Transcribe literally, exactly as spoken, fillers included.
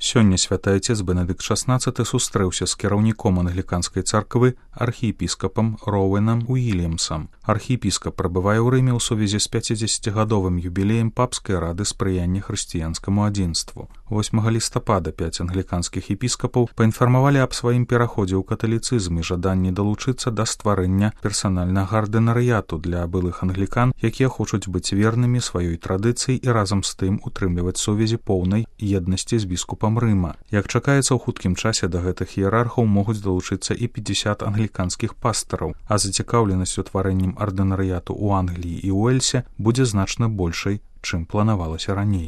Сёння святы Ацец Бенедыкт шаснаццаты сустрэўся з кіраўніком англіканскай царквы архіепіскапам Роуэнам Уільямсам. Архіепіскап прабывае ў Рыме ў сувязі з пяцідзесяцігадовым юбілеем папскай рады спрыяння хрысціянскаму адзінству. восьмага лістапада пяць англіканскіх епіскапаў паінфармавалі аб сваім пераходзе ў каталіцызм і жаданні далучыцца да стварэння персанальнага ардынарыяту для былых англікан, якія хочуць быць вернымі сваёй традыцыі і разам з тым утрымліваць сувязі поўнай еднасці з біскупам Рыма. Як чакаецца, у хуткім часе да гэтых іерархаў могуць далучыцца і пятьдесят англіканскіх пастараў, а зацікаўленасць утварэннем ардынарыяту ў Англіі і Уэльсе будзе значна большай, чым планавалася раней.